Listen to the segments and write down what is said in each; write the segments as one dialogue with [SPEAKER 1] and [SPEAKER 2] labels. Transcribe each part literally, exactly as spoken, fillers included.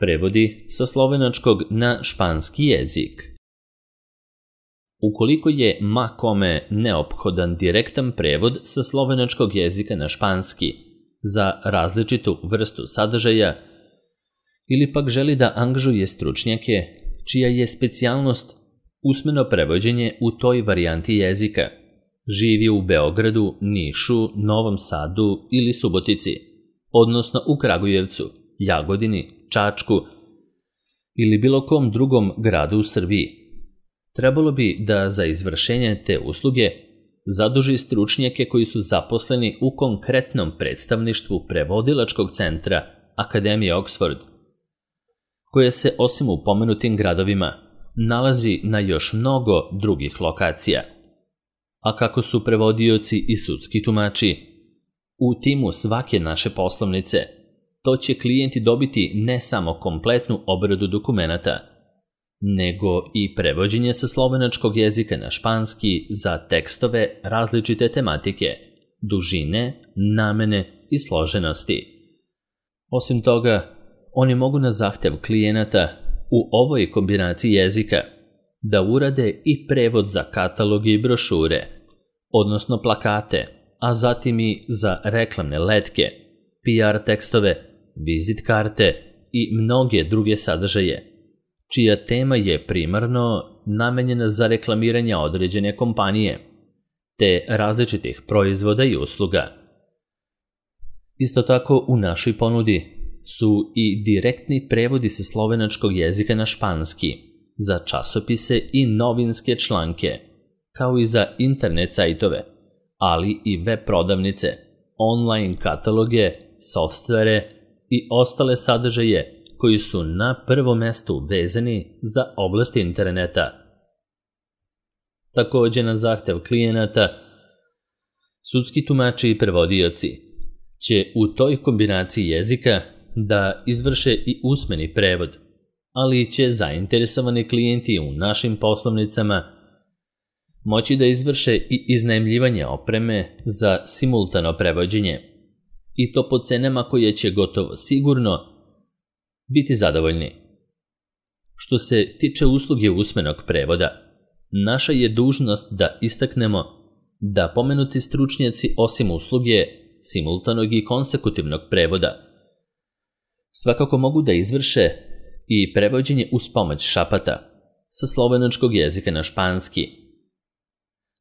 [SPEAKER 1] Prevodi sa slovenačkog na španski jezik. Ukoliko je ma kome neophodan direktan prevod sa slovenačkog jezika na španski za različitu vrstu sadržaja ili pak želi da angažuje stručnjake čija je specijalnost usmeno prevođenje u toj varijanti jezika, živi u Beogradu, Nišu, Novom Sadu ili Subotici, odnosno u Kragujevcu, Jagodini, Čačku ili bilo kom drugom gradu u Srbiji, trebalo bi da za izvršenje te usluge zaduži stručnjake koji su zaposleni u konkretnom predstavništvu prevodilačkog centra Akademije Oxford, koje se osim u pomenutim gradovima nalazi na još mnogo drugih lokacija. A kako su prevodioci i sudski tumači u timu svake naše poslovnice, to će klijenti dobiti ne samo kompletnu obradu dokumenata, nego i prevođenje sa slovenačkog jezika na španski za tekstove različite tematike, dužine, namene i složenosti. Osim toga, oni mogu na zahtev klijenata u ovoj kombinaciji jezika da urade i prevod za kataloge i brošure, odnosno plakate, a zatim i za reklamne letke, P R tekstove, vizit karte i mnoge druge sadržaje, čija tema je primarno namenjena za reklamiranje određene kompanije, te različitih proizvoda i usluga. Isto tako u našoj ponudi su i direktni prevodi sa slovenačkog jezika na španski za časopise i novinske članke, kao i za internet sajtove, ali i web prodavnice, online kataloge, softvere i ostale sadržaje koji su na prvom mestu vezani za oblast interneta. Takođe, na zahtev klijenata, sudski tumači i prevodioci će u toj kombinaciji jezika da izvrše i usmeni prevod, ali će zainteresovani klijenti u našim poslovnicama moći da izvrše i iznajmljivanje opreme za simultano prevođenje, i to po cenama koje će gotovo sigurno biti zadovoljni. Što se tiče usluge usmenog prevoda, naša je dužnost da istaknemo da pomenuti stručnjaci osim usluge simultanog i konsekutivnog prevoda svakako mogu da izvrše i prevođenje uz pomoć šapata sa slovenačkog jezika na španski.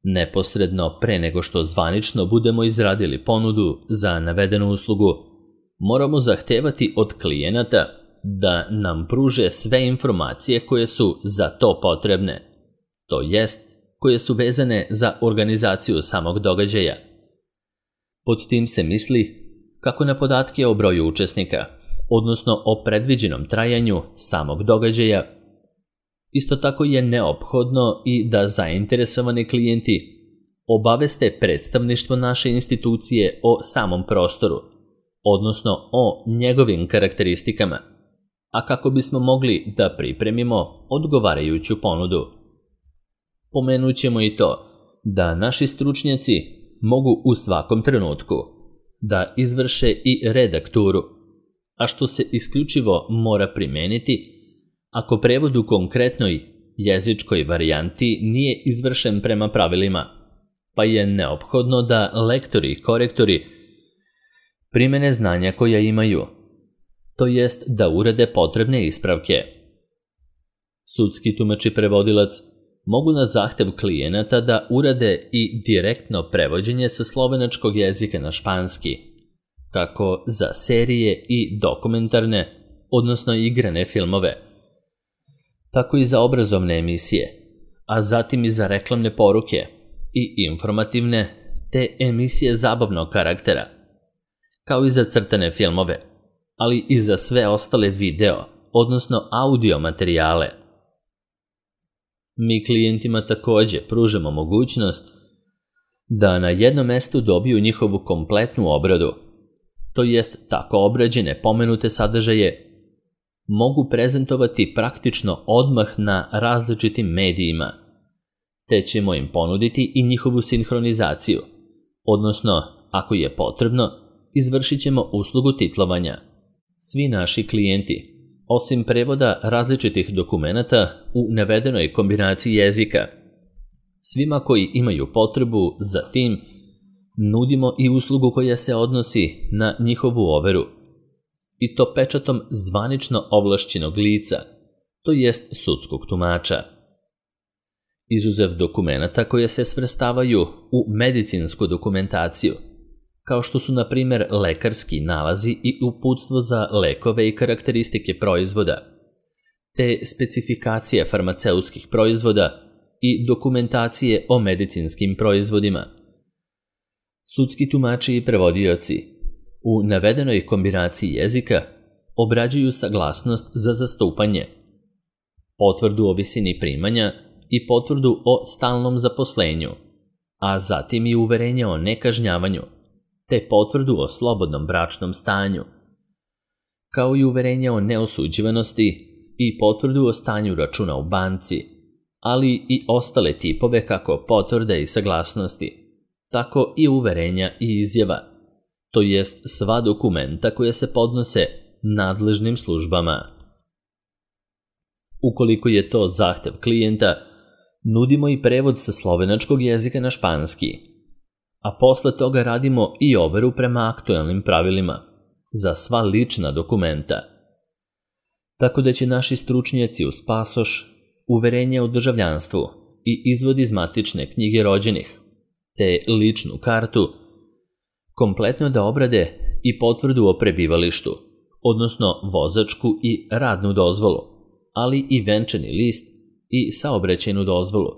[SPEAKER 1] Neposredno pre nego što zvanično budemo izradili ponudu za navedenu uslugu, moramo zahtevati od klijenata da nam pruže sve informacije koje su za to potrebne, to jest koje su vezane za organizaciju samog događaja. Pod tim se misli kako na podatke o broju učesnika, odnosno o predviđenom trajanju samog događaja. Isto tako je neophodno i da zainteresovani klijenti obaveste predstavništvo naše institucije o samom prostoru, odnosno o njegovim karakteristikama, a kako bismo mogli da pripremimo odgovarajuću ponudu. Pomenut ćemo i to da naši stručnjaci mogu u svakom trenutku da izvrše i redakturu, a što se isključivo mora primeniti ako prevod u konkretnoj jezičkoj varijanti nije izvršen prema pravilima, pa je neophodno da lektori i korektori primene znanja koja imaju, to jest da urade potrebne ispravke. Sudski tumač i prevodilac mogu na zahtev klijenata da urade i direktno prevođenje sa slovenačkog jezika na španski, kako za serije i dokumentarne, odnosno igrane filmove, tako i za obrazovne emisije, a zatim i za reklamne poruke i informativne te emisije zabavnog karaktera, kao i za crtane filmove, ali i za sve ostale video, odnosno audio materijale. Mi klijentima takođe pružamo mogućnost da na jednom mestu dobiju njihovu kompletnu obradu, to jest tako obrađene pomenute sadržaje mogu prezentovati praktično odmah na različitim medijima, te ćemo im ponuditi i njihovu sinhronizaciju, odnosno, ako je potrebno, izvršit ćemo uslugu titlovanja. Svi naši klijenti osim prevoda različitih dokumenata u navedenoj kombinaciji jezika. Svima koji imaju potrebu za tim, nudimo i uslugu koja se odnosi na njihovu overu, i to pečatom zvanično ovlašćenog lica, to jest sudskog tumača. Izuzev dokumenata koje se svrstavaju u medicinsku dokumentaciju, kao što su na primjer lekarski nalazi i uputstvo za lekove i karakteristike proizvoda, te specifikacije farmaceutskih proizvoda i dokumentacije o medicinskim proizvodima. Sudski tumači i prevodioci u navedenoj kombinaciji jezika obrađuju saglasnost za zastupanje, potvrdu o visini primanja i potvrdu o stalnom zaposlenju, a zatim i uverenje o nekažnjavanju, te potvrdu o slobodnom bračnom stanju, kao i uverenje o neosuđivanosti i potvrdu o stanju računa u banci, ali i ostale tipove kako potvrde i saglasnosti, tako i uverenja i izjava, to jest sva dokumenta koje se podnose nadležnim službama. Ukoliko je to zahtev klijenta, nudimo i prevod sa slovenačkog jezika na španski, a posle toga radimo i overu prema aktuelnim pravilima za sva lična dokumenta. Tako da će naši stručnjaci uz pasoš, uverenje o državljanstvu i izvod iz matične knjige rođenih, te ličnu kartu, kompletno da obrade i potvrdu o prebivalištu, odnosno vozačku i radnu dozvolu, ali i venčani list i saobraćajnu dozvolu,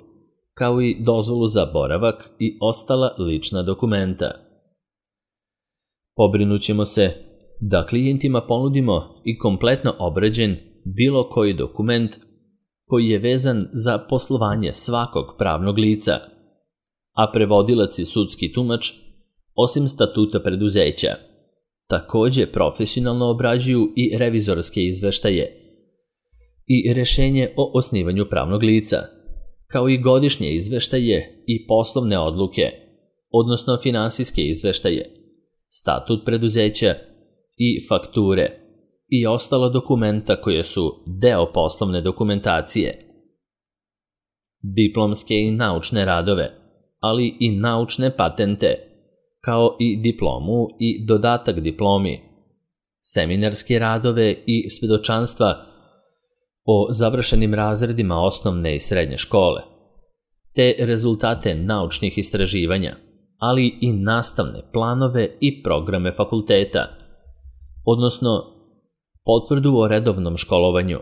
[SPEAKER 1] kao i dozvolu za boravak i ostala lična dokumenta. Pobrinućemo se da klijentima ponudimo i kompletno obrađen bilo koji dokument koji je vezan za poslovanje svakog pravnog lica, a prevodilac i sudski tumač, osim statuta preduzeća, takođe profesionalno obrađuju i revizorske izveštaje i rešenje o osnivanju pravnog lica, kao i godišnje izveštaje i poslovne odluke, odnosno finansijske izveštaje, statut preduzeća i fakture i ostala dokumenta koje su deo poslovne dokumentacije, diplomske i naučne radove, ali i naučne patente, kao i diplomu i dodatak diplomi, seminarske radove i svedočanstva o završenim razredima osnovne i srednje škole, te rezultate naučnih istraživanja, ali i nastavne planove i programe fakulteta, odnosno potvrdu o redovnom školovanju,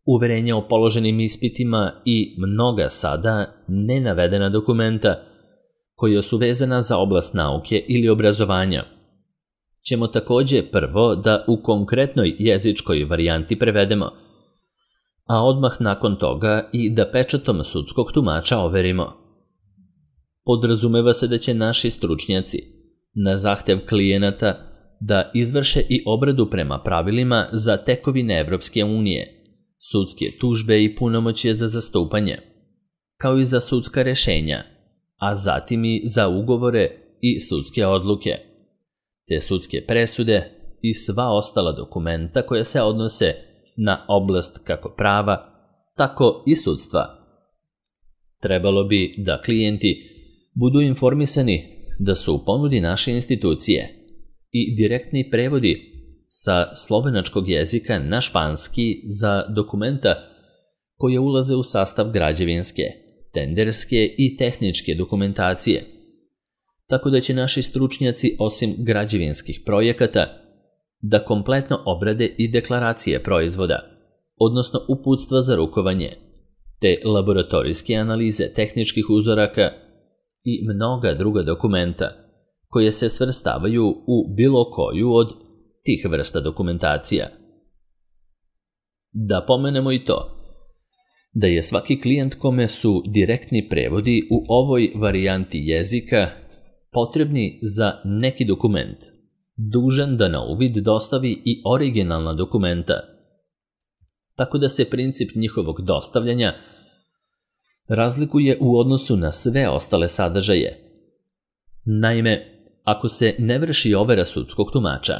[SPEAKER 1] uverenja o položenim ispitima i mnoga sada nenavedena dokumenta koja su vezana za oblast nauke ili obrazovanja, ćemo takođe prvo da u konkretnoj jezičkoj varijanti prevedemo, a odmah nakon toga i da pečatom sudskog tumača overimo. Podrazumeva se da će naši stručnjaci, na zahtev klijenata, da izvrše i obradu prema pravilima za tekovine Evropske unije, sudske tužbe i punomoćje za zastupanje, kao i za sudska rešenja, a zatim i za ugovore i sudske odluke, te sudske presude i sva ostala dokumenta koja se odnose na oblast kako prava, tako i sudstva. Trebalo bi da klijenti budu informisani da su u ponudi naše institucije i direktni prevodi sa slovenačkog jezika na španski za dokumenta koje ulaze u sastav građevinske, tenderske i tehničke dokumentacije, tako da će naši stručnjaci osim građevinskih projekata da kompletno obrade i deklaracije proizvoda, odnosno uputstva za rukovanje, te laboratorijske analize tehničkih uzoraka i mnoga druga dokumenta koje se svrstavaju u bilo koju od tih vrsta dokumentacija. Da pomenemo i to, da je svaki klijent kome su direktni prevodi u ovoj varijanti jezika potrebni za neki dokument, dužan da na uvid dostavi i originalna dokumenta, tako da se princip njihovog dostavljanja razlikuje u odnosu na sve ostale sadržaje. Naime, ako se ne vrši overa sudskog tumača,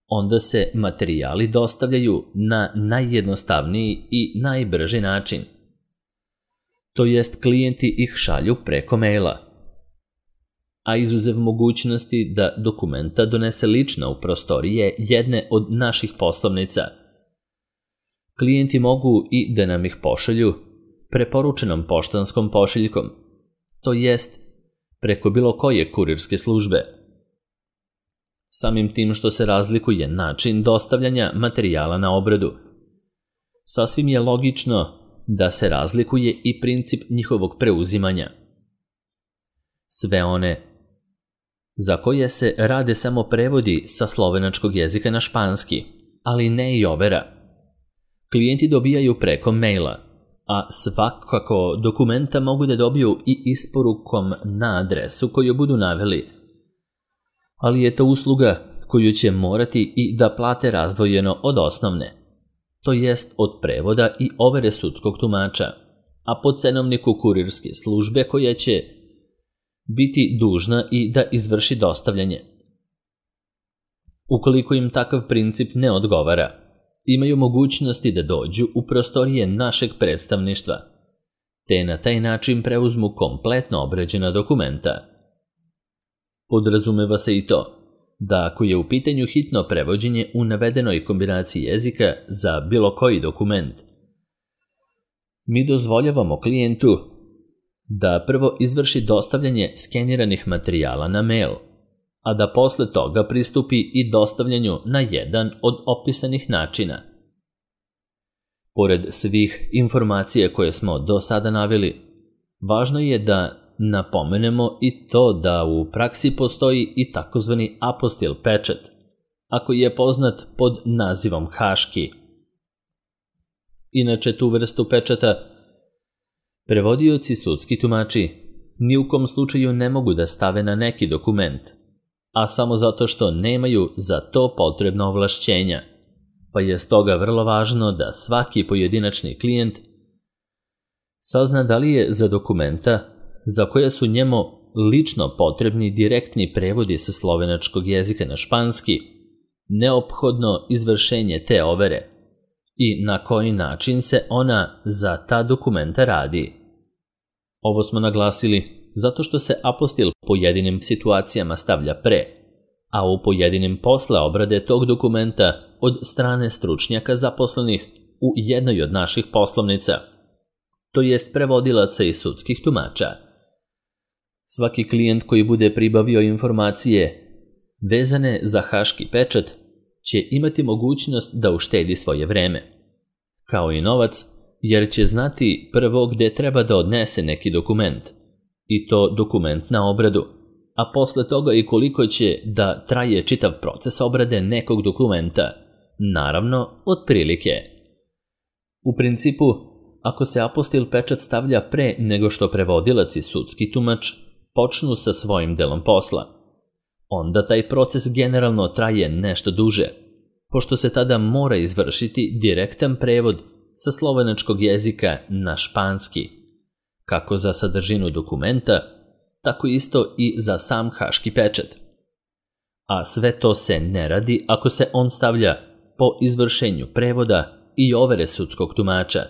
[SPEAKER 1] onda se materijali dostavljaju na najjednostavniji i najbrži način. To jest, klijenti ih šalju preko maila. A izuzev mogućnosti da dokumenta donese lično u prostorije jedne od naših poslovnica, klijenti mogu i da nam ih pošalju preporučenom poštanskom pošiljkom, to jest preko bilo koje kurirske službe. Samim tim što se razlikuje način dostavljanja materijala na obradu, sasvim je logično da se razlikuje i princip njihovog preuzimanja. Sve one za koje se rade samo prevodi sa slovenačkog jezika na španski, ali ne i overa, klijenti dobijaju preko maila, a svakako dokumenta mogu da dobiju i isporukom na adresu koju budu naveli. Ali je to usluga koju će morati i da plate razdvojeno od osnovne, to jest od prevoda i overe sudskog tumača, a po cenovniku kurirske službe koja će biti dužna i da izvrši dostavljanje. Ukoliko im takav princip ne odgovara, imaju mogućnosti da dođu u prostorije našeg predstavništva, te na taj način preuzmu kompletno obrađena dokumenta. Podrazumeva se i to da ako je u pitanju hitno prevođenje u navedenoj kombinaciji jezika za bilo koji dokument, mi dozvoljavamo klijentu da prvo izvrši dostavljanje skeniranih materijala na mail, a da posle toga pristupi i dostavljanju na jedan od opisanih načina. Pored svih informacija koje smo do sada naveli, važno je da napomenemo i to da u praksi postoji i takozvani apostil pečat, ako je poznat pod nazivom haški. Inače, tu vrstu pečata prevodioci sudski tumači ni u kom slučaju ne mogu da stave na neki dokument, a samo zato što nemaju za to potrebna ovlašćenja, pa je stoga vrlo važno da svaki pojedinačni klijent sazna da li je za dokumenta za koje su njemu lično potrebni direktni prevodi sa slovenačkog jezika na španski neophodno izvršenje te overe i na koji način se ona za ta dokumenta radi. Ovo smo naglasili zato što se apostil pojedinim situacijama stavlja pre, a u pojedinim posle obrade tog dokumenta od strane stručnjaka zaposlenih u jednoj od naših poslovnica, to jest prevodilaca i sudskih tumača. Svaki klijent koji bude pribavio informacije vezane za haški pečat će imati mogućnost da uštedi svoje vreme, kao i novac, jer će znati prvo gde treba da odnese neki dokument, i to dokument na obradu, a posle toga i koliko će da traje čitav proces obrade nekog dokumenta, naravno, otprilike. U principu, ako se apostil pečat stavlja pre nego što prevodilac i sudski tumač počnu sa svojim delom posla, onda taj proces generalno traje nešto duže, pošto se tada mora izvršiti direktan prevod sa slovenačkog jezika na španski, kako za sadržinu dokumenta, tako isto i za sam haški pečat. A sve to se ne radi ako se on stavlja po izvršenju prevoda i overe sudskog tumača,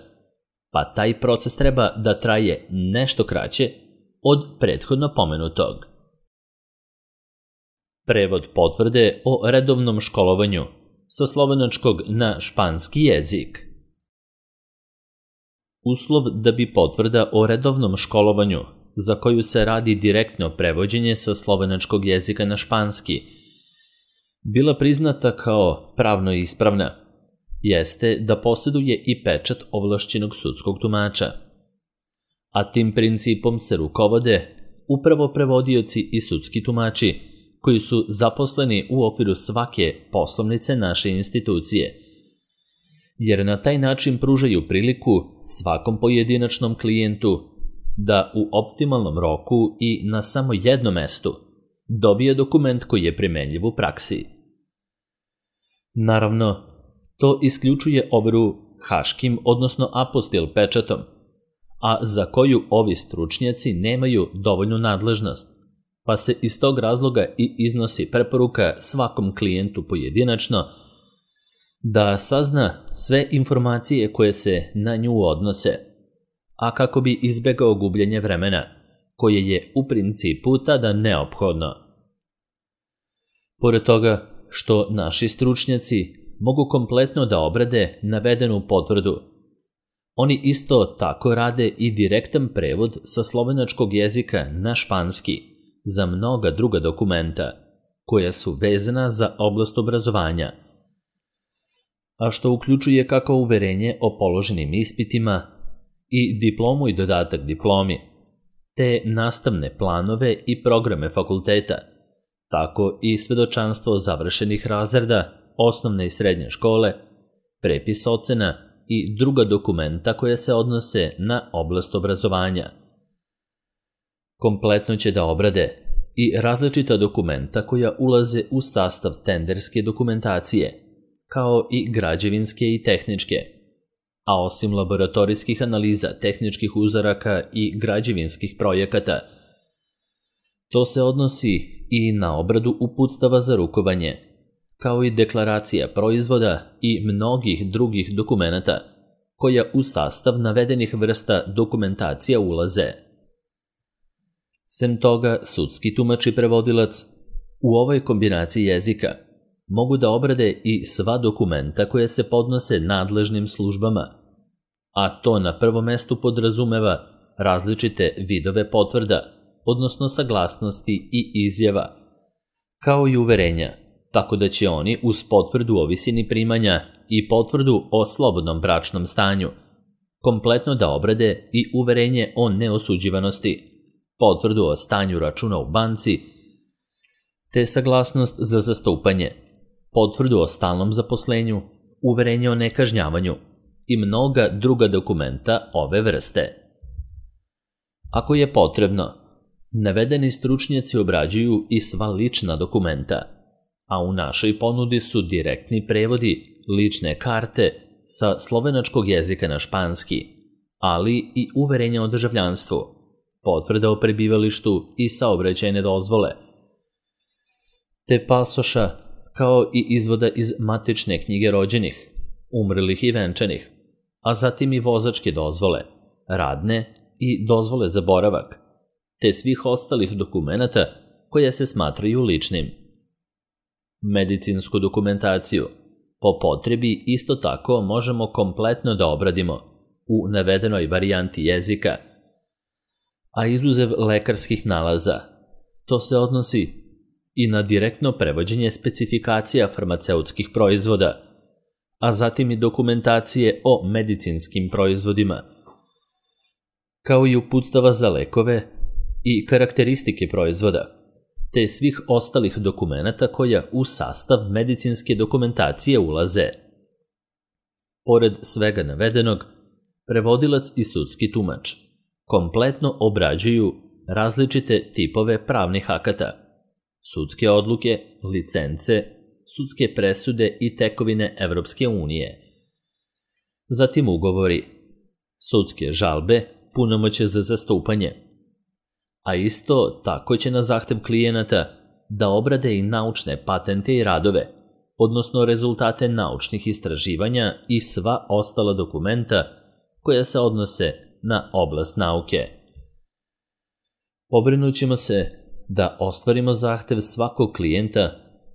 [SPEAKER 1] pa taj proces treba da traje nešto kraće od prethodno pomenutog. Prevod potvrde o redovnom školovanju sa slovenačkog na španski jezik. Uslov da bi potvrda o redovnom školovanju, za koju se radi direktno prevođenje sa slovenačkog jezika na španski, bila priznata kao pravno ispravna, jeste da posjeduje i pečat ovlašćenog sudskog tumača. A tim principom se rukovode upravo prevodioci i sudski tumači koji su zaposleni u okviru svake poslovnice naše institucije, jer na taj način pružaju priliku svakom pojedinačnom klijentu da u optimalnom roku i na samo jednom mestu dobije dokument koji je primenljiv u praksi. Naravno, to isključuje overu haškim, odnosno apostil pečatom, a za koju ovi stručnjaci nemaju dovoljnu nadležnost, pa se iz tog razloga i iznosi preporuka svakom klijentu pojedinačno da sazna sve informacije koje se na nju odnose, a kako bi izbegao gubljenje vremena, koje je u principu tada neophodno. Pored toga što naši stručnjaci mogu kompletno da obrade navedenu potvrdu, oni isto tako rade i direktan prevod sa slovenačkog jezika na španski za mnoga druga dokumenta koja su vezana za oblast obrazovanja, a što uključuje kako uverenje o položenim ispitima i diplomu i dodatak diplomi, te nastavne planove i programe fakulteta, tako i svedočanstvo završenih razreda osnovne i srednje škole, prepis ocena i druga dokumenta koja se odnose na oblast obrazovanja. Kompletno će da obrade i različita dokumenta koja ulaze u sastav tenderske dokumentacije, kao i građevinske i tehničke, a osim laboratorijskih analiza tehničkih uzoraka i građevinskih projekata, to se odnosi i na obradu uputstava za rukovanje, kao i deklaracija proizvoda i mnogih drugih dokumenata koja u sastav navedenih vrsta dokumentacija ulaze. Sem toga, sudski tumač i prevodilac u ovoj kombinaciji jezika mogu da obrade i sva dokumenta koje se podnose nadležnim službama, a to na prvom mestu podrazumeva različite vidove potvrda, odnosno saglasnosti i izjava, kao i uverenja, tako da će oni uz potvrdu o visini primanja i potvrdu o slobodnom bračnom stanju kompletno da obrade i uverenje o neosuđivanosti, potvrdu o stanju računa u banci, te saglasnost za zastupanje, potvrdu o stalnom zaposlenju, uverenje o nekažnjavanju i mnoga druga dokumenta ove vrste. Ako je potrebno, navedeni stručnjaci obrađuju i sva lična dokumenta, a u našoj ponudi su direktni prevodi lične karte sa slovenačkog jezika na španski, ali i uverenja o državljanstvu, potvrda o prebivalištu i saobraćajne dozvole, te pasoša, kao i izvoda iz matične knjige rođenih, umrlih i venčanih, a zatim i vozačke dozvole, radne i dozvole za boravak, te svih ostalih dokumenata koje se smatraju ličnim. Medicinsku dokumentaciju po potrebi isto tako možemo kompletno da obradimo u navedenoj varijanti jezika, a izuzev lekarskih nalaza, to se odnosi i na direktno prevođenje specifikacija farmaceutskih proizvoda, a zatim i dokumentacije o medicinskim proizvodima, kao i uputstava za lekove i karakteristike proizvoda, te svih ostalih dokumenata koja u sastav medicinske dokumentacije ulaze. Pored svega navedenog, prevodilac i sudski tumač kompletno obrađuju različite tipove pravnih akata, sudske odluke, licence, sudske presude i tekovine Evropske unije, zatim ugovori, sudske žalbe, punomoćje za zastupanje, a isto tako će na zahtev klijenata da obrade i naučne patente i radove, odnosno rezultate naučnih istraživanja i sva ostala dokumenta koja se odnose na oblast nauke. Pobrinut ćemo se da ostvarimo zahtev svakog klijenta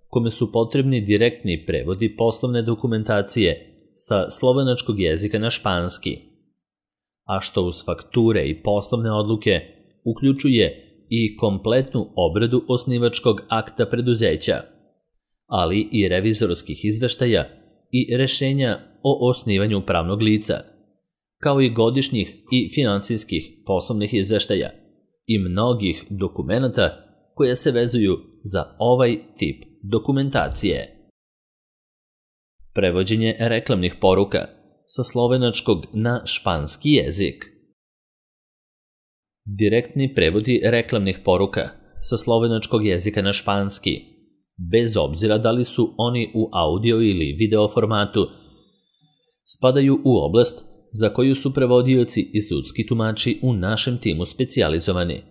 [SPEAKER 1] kome su potrebni direktni prevodi poslovne dokumentacije sa slovenačkog jezika na španski, a što uz fakture i poslovne odluke uključuje i kompletnu obradu osnivačkog akta preduzeća, ali i revizorskih izveštaja i rešenja o osnivanju pravnog lica, kao i godišnjih i finansijskih poslovnih izveštaja i mnogih dokumenata koje se vezuju za ovaj tip dokumentacije. Prevođenje reklamnih poruka sa slovenačkog na španski jezik. Direktni prevodi reklamnih poruka sa slovenačkog jezika na španski, bez obzira da li su oni u audio ili video formatu, spadaju u oblast za koju su prevodioci i sudski tumači u našem timu specijalizovani.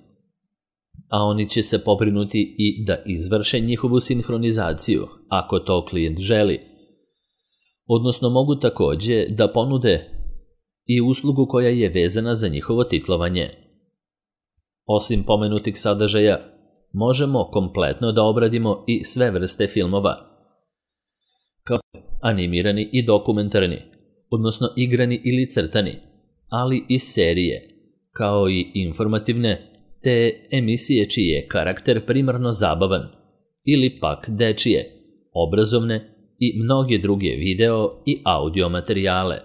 [SPEAKER 1] a oni će se pobrinuti i da izvrše njihovu sinhronizaciju, ako to klijent želi. Odnosno mogu takođe da ponude i uslugu koja je vezana za njihovo titlovanje. Osim pomenutih sadržaja, možemo kompletno da obradimo i sve vrste filmova, kao animirani i dokumentarni, odnosno igrani ili crtani, ali i serije, kao i informativne, te emisije čiji je karakter primarno zabavan, ili pak dečije, obrazovne i mnoge druge video i audio materijale.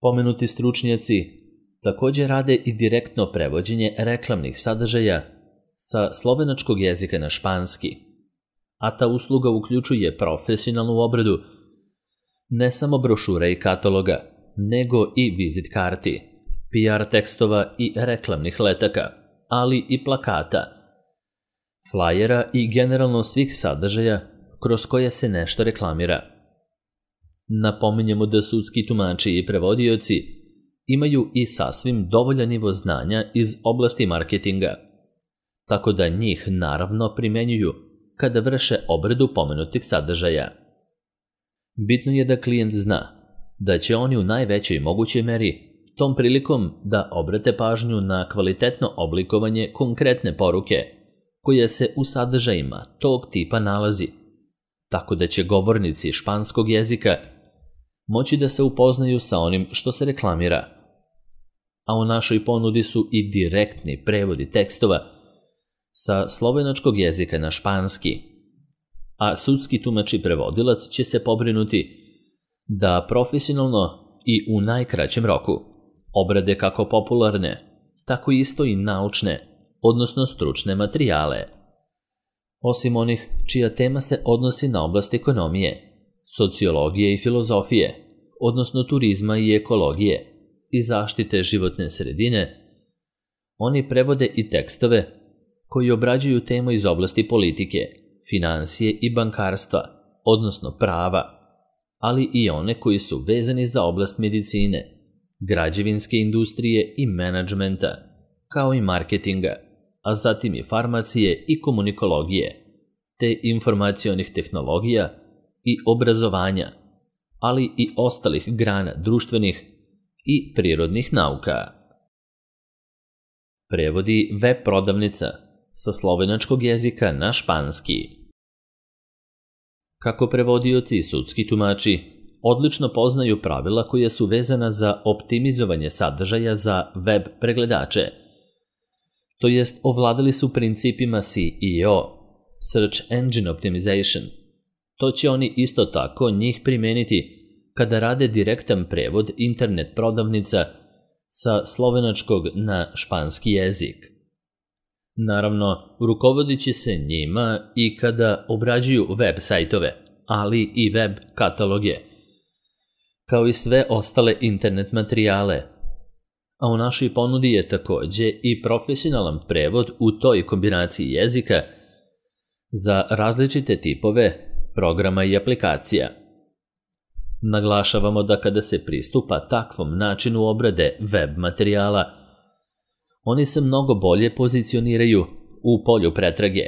[SPEAKER 1] Pomenuti stručnjaci takođe rade i direktno prevođenje reklamnih sadržaja sa slovenačkog jezika na španski, a ta usluga uključuje profesionalnu obradu ne samo brošura i kataloga, nego i vizit karti, P R tekstova i reklamnih letaka, ali i plakata, flajera i generalno svih sadržaja kroz koje se nešto reklamira. Napominjemo da sudski tumači i prevodioci imaju i sasvim dovoljan nivo znanja iz oblasti marketinga, tako da njih naravno primenjuju kada vrše obradu pomenutih sadržaja. Bitno je da klijent zna da će oni u najvećoj mogućoj meri tom prilikom da obrate pažnju na kvalitetno oblikovanje konkretne poruke koja se u sadržajima tog tipa nalazi, tako da će govornici španskog jezika moći da se upoznaju sa onim što se reklamira. A u našoj ponudi su i direktni prevodi tekstova sa slovenačkog jezika na španski, a sudski tumač i prevodilac će se pobrinuti da profesionalno i u najkraćem roku obrade kako popularne, tako isto i naučne, odnosno stručne materijale. Osim onih čija tema se odnosi na oblast ekonomije, sociologije i filozofije, odnosno turizma i ekologije i zaštite životne sredine, oni prevode i tekstove koji obrađuju temu iz oblasti politike, finansije i bankarstva, odnosno prava, ali i one koji su vezani za oblast medicine, građevinske industrije i menadžmenta, kao i marketinga, a zatim i farmacije i komunikologije, te informacionih tehnologija i obrazovanja, ali i ostalih grana društvenih i prirodnih nauka. Prevodi web prodavnica sa slovenačkog jezika na španski. Kako prevodioci i sudski tumači odlično poznaju pravila koja su vezana za optimizovanje sadržaja za web pregledače, to jest ovladali su principima S E O, Search Engine Optimization. To će oni isto tako njih primeniti kada rade direktan prevod internet prodavnica sa slovenačkog na španski jezik. Naravno, rukovodit će se njima i kada obrađuju web sajtove, ali i web kataloge, kao i sve ostale internet materijale. A u našoj ponudi je takođe i profesionalan prevod u toj kombinaciji jezika za različite tipove programa i aplikacija. Naglašavamo da kada se pristupa takvom načinu obrade web materijala, oni se mnogo bolje pozicioniraju u polju pretrage,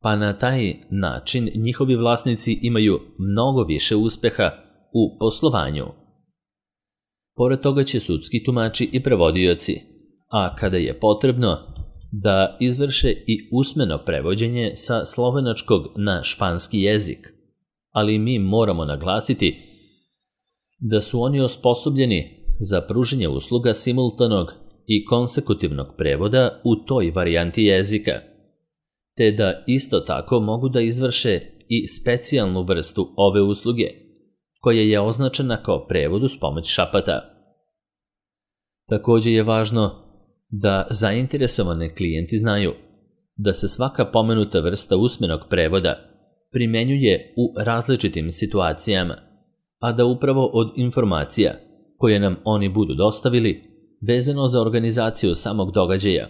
[SPEAKER 1] pa na taj način njihovi vlasnici imaju mnogo više uspeha u poslovanju. Pored toga će sudski tumači i prevodioci, a kada je potrebno, da izvrše i usmeno prevođenje sa slovenačkog na španski jezik, ali mi moramo naglasiti da su oni osposobljeni za pruženje usluga simultanog i konsekutivnog prevoda u toj varijanti jezika, te da isto tako mogu da izvrše i specijalnu vrstu ove usluge, koja je označena kao prevod uz pomoć šapata. Takođe je važno da zainteresovane klijenti znaju da se svaka pomenuta vrsta usmenog prevoda primenjuje u različitim situacijama, a da upravo od informacija koje nam oni budu dostavili vezano za organizaciju samog događaja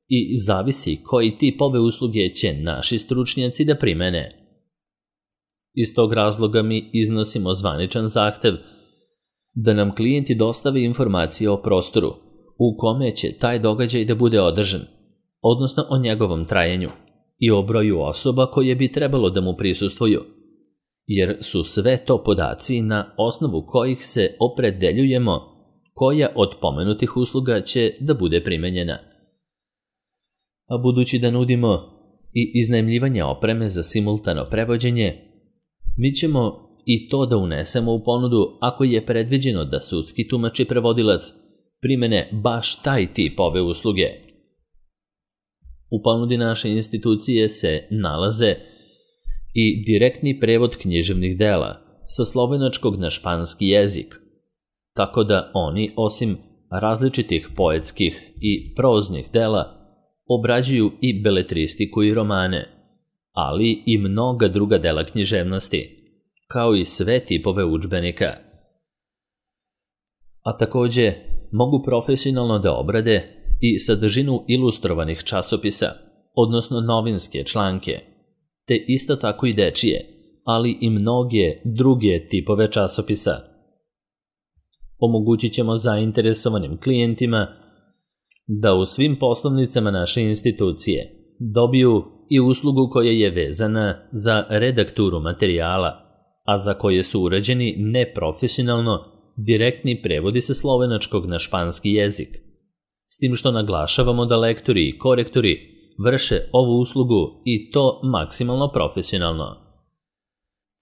[SPEAKER 1] i zavisi koji tip ove usluge će naši stručnjaci da primene. Iz tog razloga mi iznosimo zvaničan zahtev da nam klijenti dostave informacije o prostoru u kome će taj događaj da bude održan, odnosno o njegovom trajanju i o broju osoba koje bi trebalo da mu prisustvuju, jer su sve to podaci na osnovu kojih se opredeljujemo koja od pomenutih usluga će da bude primenjena. A budući da nudimo i iznajmljivanje opreme za simultano prevođenje, mi ćemo i to da unesemo u ponudu ako je predviđeno da sudski tumač i prevodilac primene baš taj tip ove usluge. U ponudi naše institucije se nalaze i direktni prevod književnih dela sa slovenačkog na španski jezik, tako da oni, osim različitih poetskih i proznih dela, obrađuju i beletristiku i romane, ali i mnoga druga dela književnosti, kao i sve tipove udžbenika. A takođe mogu profesionalno da obrade i sadržinu ilustrovanih časopisa, odnosno novinske članke, te isto tako i dečije, ali i mnoge druge tipove časopisa. Omogućit ćemo zainteresovanim klijentima da u svim poslovnicama naše institucije dobiju i uslugu koja je vezana za redakturu materijala, a za koje su urađeni neprofesionalno direktni prevodi sa slovenačkog na španski jezik, s tim što naglašavamo da lektori i korektori vrše ovu uslugu i to maksimalno profesionalno.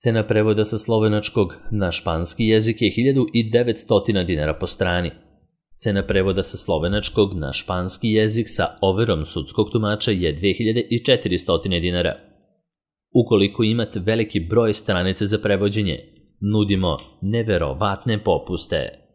[SPEAKER 1] Cena prevoda sa slovenačkog na španski jezik je hiljadu devetsto dinara po strani. Cena prevoda sa slovenačkog na španski jezik sa overom sudskog tumača je dve hiljade četiristo dinara. Ukoliko imate veliki broj stranice za prevođenje, nudimo neverovatne popuste.